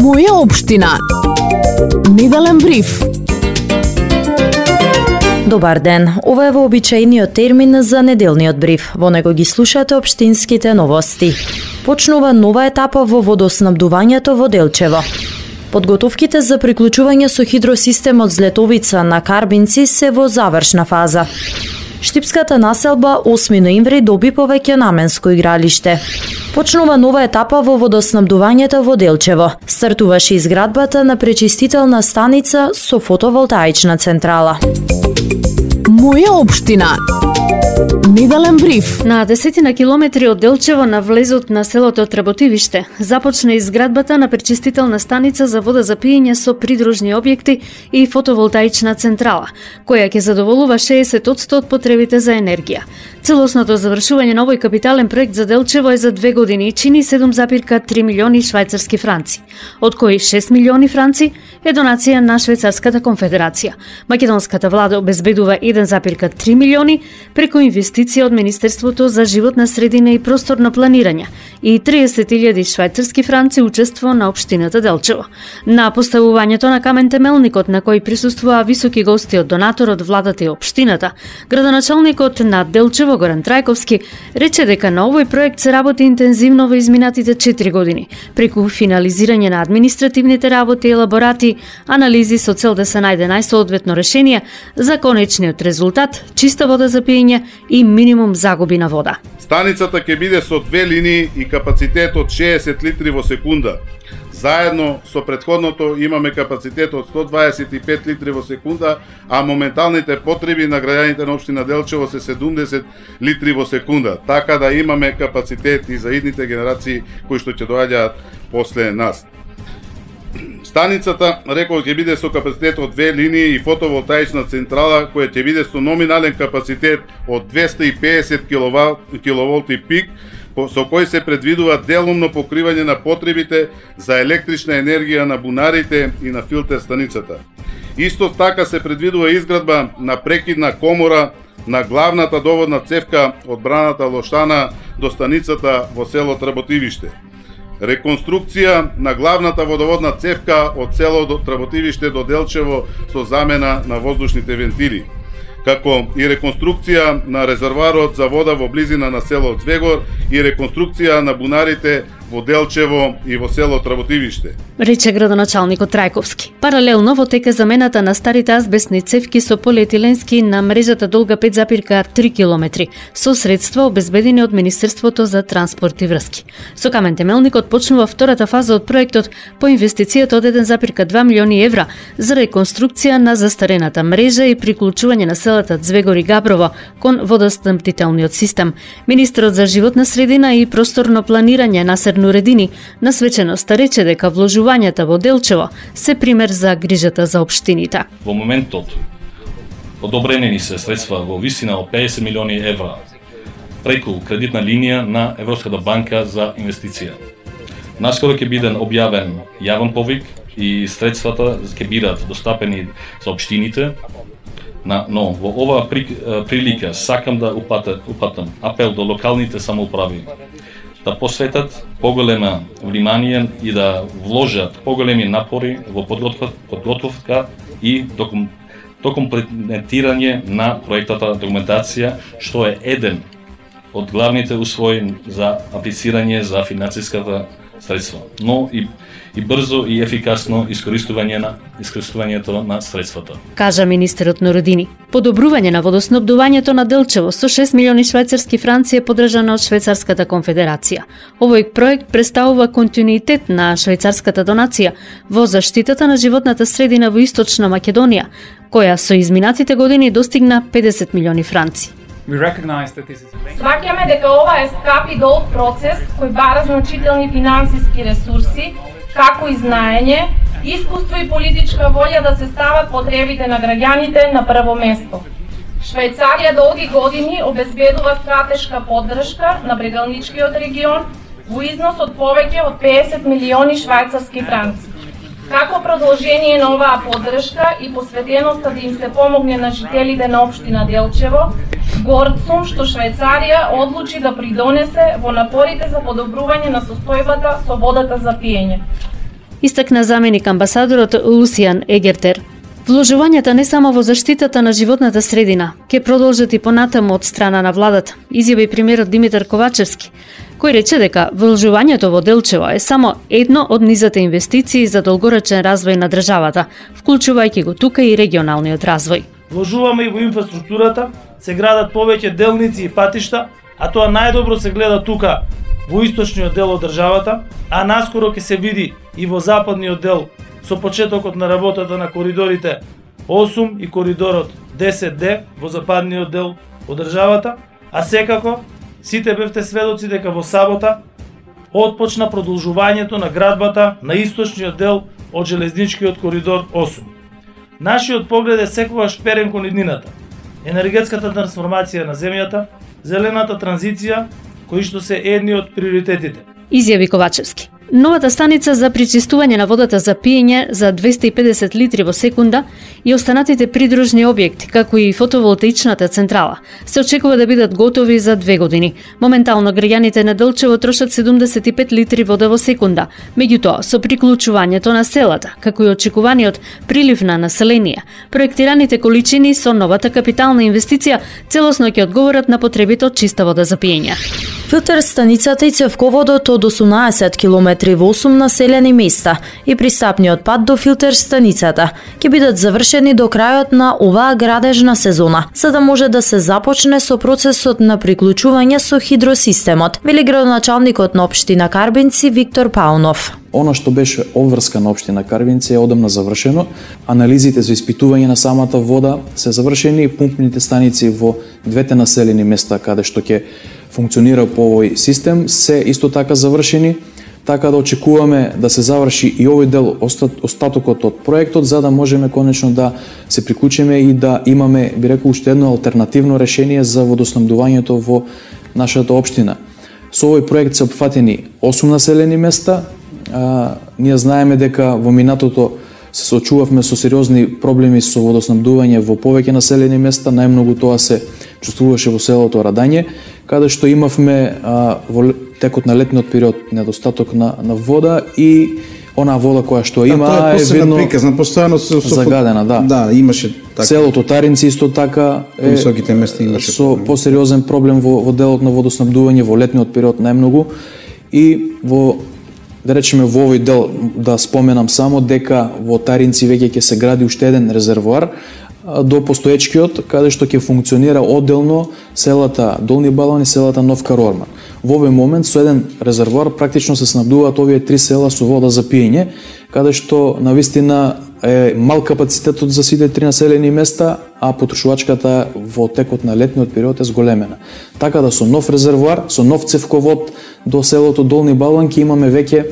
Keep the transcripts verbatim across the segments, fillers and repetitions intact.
Моја општина. Неделен бриф. Добар ден, ова е вообичаениот термин за неделниот бриф. Во него ги слушате општинските новости. Почнува нова етапа во водоснабдувањето во Делчево. Подготовките за приклучување со хидросистемот Злетовица на Карбинци се во завршна фаза. Штипската населба осми ноември доби повеќе наменско игралиште. Почнува нова етапа во водоснабдувањето во Делчево. Стартуваше изградбата на пречистителна станица со фотоволтаична централа. Моја општина. Неделен бриф. На десетина километри од Делчево на влезот на селото Тработивиште започна изградбата на пречистителна станица за вода за пиење со придружни објекти и фотоволтаична централа, која ќе задоволува шеесет одсто од потребите за енергија. Целосното завршување на овој капитален проект за Делчево е за две години и чини седум запирка три милиони швајцарски франци, од кои шест милиони франци е донација на Швајцарската конфедерација. Македонската влада обезбедува еден запирка три милиони преку инвестиција од Министерството за животна средина и просторно планирање и триесет илјади швајцарски франци учество на општината Делчево. На поставувањето на камен темелникот, на кој присуствуваа високи гости од донаторот, владата и општината, градоначалникот на Делчево Горан Трајковски рече дека на овој проект се работи интензивно во изминатите четири години, преку финализирање на административните работи и елаборати, анализи со цел да се најде најсоодветно решение за конечниот резултат, чиста вода за пиење и минимум загуби на вода. Станицата ќе биде со две линии и капацитет од шеесет литри во секунда. Заедно со претходното имаме капацитет од сто дваесет и пет литри во секунда, а моменталните потреби на граѓаните на општина Делчево се седумдесет литри во секунда. Така да имаме капацитет и за идните генерации кои што ќе доаѓаат после нас. Станицата, рекол, ќе биде со капацитет од две линии и фотоволтаична централа која ќе биде со номинален капацитет од двесте и педесет киловолти пик, со кој се предвидува делумно покривање на потребите за електрична енергија на бунарите и на филтер станицата. Исто така се предвидува изградба на прекидна комора на главната доводна цевка од браната Лошана до станицата во село Тработивиште. Реконструкција на главната водоводна цевка од село Тработивиште до Делчево со замена на воздушните вентили, како и реконструкција на резервоарот за вода во близина на село Звегор и реконструкција на бунарите во Делчево и во село Тработивиште, рече градоначалникот Трајковски. Паралелно во тека замената на старите азбестни цевки со полиетиленски на мрежата долга пет запирка три километри со средства обезбедени од Министерството за транспорт и врски. Со камен темелникот почнува втората фаза од проектот по инвестицијата од еден запирка два милиони евра за реконструкција на застарената мрежа и приклучување на селата Звегор и Габрово кон водоснабдителниот систем. Министерот за животна средина и просторно планирање на Нуредини на свеченоста рече дека вложувањата во Делчево се пример за грижата за општините. Во моментот одобрени ни се средства во висина од педесет милиони евра преку кредитна линија на Европската банка за инвестиција. Наскоро ќе биде објавен јавен повик и средствата ќе бидат достапени за општините. Но во оваа прилика сакам да упатам апел до локалните самоуправи да посветат поголема внимание и да вложат поголеми напори во подготовка и документирање на проектата документација, што е еден од главните услови за аплицирање за финансиската средства, но и и брзо и ефикасно искористување на искористувањето на средствата, кажа министерот Нуредини. Подобрување на водоснабдувањето на Делчево со шест милиони швајцарски франци е поддржано од Швајцарската конфедерација. Овој проект представува континуитет на швајцарската донација во заштитата на животната средина во Источна Македонија, која со изминатите години достигна педесет милиони франци. Сваќаме дека ова е скап и долг процес кој бара значителни финансиски ресурси, како и знаење, искуство и политичка волја да се стават потребите на граѓаните на прво место. Швајцарија долги години обезбедува стратешка поддршка на брегалничкиот регион во износ од повеќе од педесет милиони швајцарски франци. Како продолжение на оваа поддршка и посветеноста да им се помогне на жителите на општина Делчево, горд сум што Швајцарија одлучи да придонесе во напорите за подобрување на состојбата со водата за пиење. истакна заменик амбасадорот Лусијан Егертер. Вложувањата не само во заштитата на животната средина, ќе продолжат и понатаму од страна на владата, изјави премиерот Димитар Ковачевски, кој рече дека вложувањето во Делчево е само едно од низата инвестиции за долгорочен развој на државата, вклучувајќи го тука и регионалниот развој. Вложуваме и во инфраструктурата, се градат повеќе делници и патишта, а тоа најдобро се гледа тука во источниот дел од државата, а наскоро ќе се види и во западниот дел со почетокот на работата на коридорите осум и коридорот десет Д во западниот дел од државата, а секако сите бевте сведоци дека во сабота отпочна продолжувањето на градбата на источниот дел од железничкиот коридор осум. Нашиот поглед е секогаш перен кон иднината, енергетската трансформација на земјата, зелената транзиција, кои што се едни од приоритетите. Изјави Ковачевски. Новата станица за пречистување на водата за пиење за двесте и педесет литри во секунда и останатите придружни објекти, како и фотоволтаичната централа, се очекува да бидат готови за две години. Моментално граѓаните на Делчево трошат седумдесет и пет литри вода во секунда. Меѓутоа, со приклучувањето на селата, како и очекуваниот прилив на население, проектираните количини со новата капитална инвестиција целосно ќе одговорат на потребите од чиста вода за пиење. Филтер станицата и цевководот од осумнаесет километри во осум населени места и пристапниот пат до филтер станицата ќе бидат завршени до крајот на оваа градежна сезона, за да може да се започне со процесот на приклучување со хидросистемот, вели градоначалникот на општина Карбинци Виктор Паунов. Она што беше обврска на општина Карбинци е одамна завршено. Анализите за испитување на самата вода се завршени и пумпните станици во двете населени места каде што ќе функционира по овој систем се исто така завршени, така да очекуваме да се заврши и овој дел, остатокот од проектот, за да можеме конечно да се приклучиме и да имаме, би рекол, уште едно алтернативно решение за водоснабдувањето во нашата општина. Со овој проект се опфатени осум населени места. А, ние знаеме дека во минатото се соочувавме со сериозни проблеми со водоснабдување во повеќе населени места, најмногу тоа се чувствуваше во селото Радање, каде што имавме а, во текот на летниот период недостаток на, на вода и онаа вода која што има да, е, е видно приказна, постојано со, со загадена, да. Да, имаше така. Селото Таринци исто така е високите места имаше со проблем. посериозен проблем во, во делот на водоснабдување во летниот период најмногу и во да речеме во овој дел да споменам само дека во Таринци веќе ќе се гради уште еден резервоар до постоечкиот, каде што ќе функционира одделно селата Долни Балван и селата Нов Карорман. Во овој момент со еден резервоар практично се снабдуваат овие три села со вода за пиење, каде што навистина е мал капацитетот за сите три населени места, а потрошувачката во текот на летниот период е зголемена. Така да со нов резервоар, со нов цевковод до селото Долни Балван ќе имаме веќе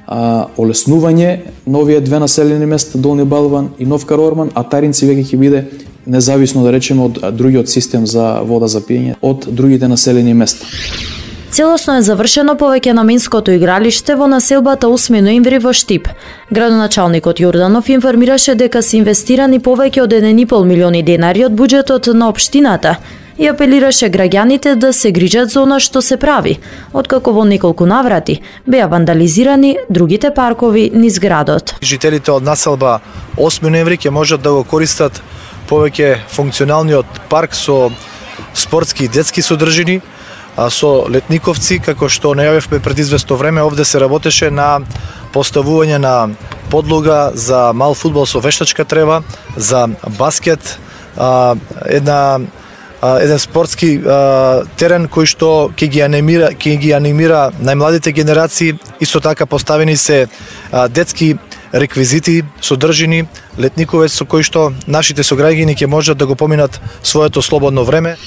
а, олеснување на овие две населени места Долни Балван и Нов Карорман, а Таринци веќе ќе биде независно да речеме од другиот систем за вода за пиење од другите населени места. Целосно е завршено повеќе наменското игралиште во населбата осми ноември во Штип. Градоначалникот Јорданов информираше дека се инвестирани повеќе од еден и пол милиони денари од буџетот на општината и апелираше граѓаните да се грижат за она што се прави, откако во неколку наврати беа вандализирани другите паркови низ градот. Жителите од населба осми ноември ќе можат да го користат повеќе функционалниот парк со спортски и детски содржини, а со летниковци, како што најавивме пред известно време, овде се работеше на поставување на подлога за мал фудбал со вештачка трева, за баскет, а, една а, еден спортски а, терен кој што ќе ги анимира, ќе ги анимира најмладите генерации. Исто така поставени се а, детски реквизити, содржини, летниковец со кој што нашите сограѓани ќе можат да го поминат своето слободно време.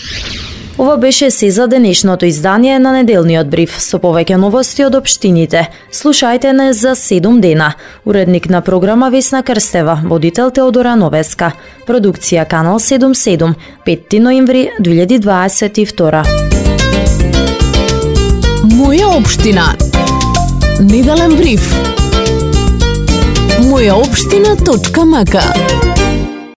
Ова беше се за денешното издание на неделниот бриф со повеќе новости од општините. Слушајте не за седум дена. Уредник на програма Весна Крстева, водител Теодора Новеска. Продукција Канал седумдесет и седум, петти ноември две илјади дваесет и втора. Моја општина. Неделен бриф. моја општина точка м к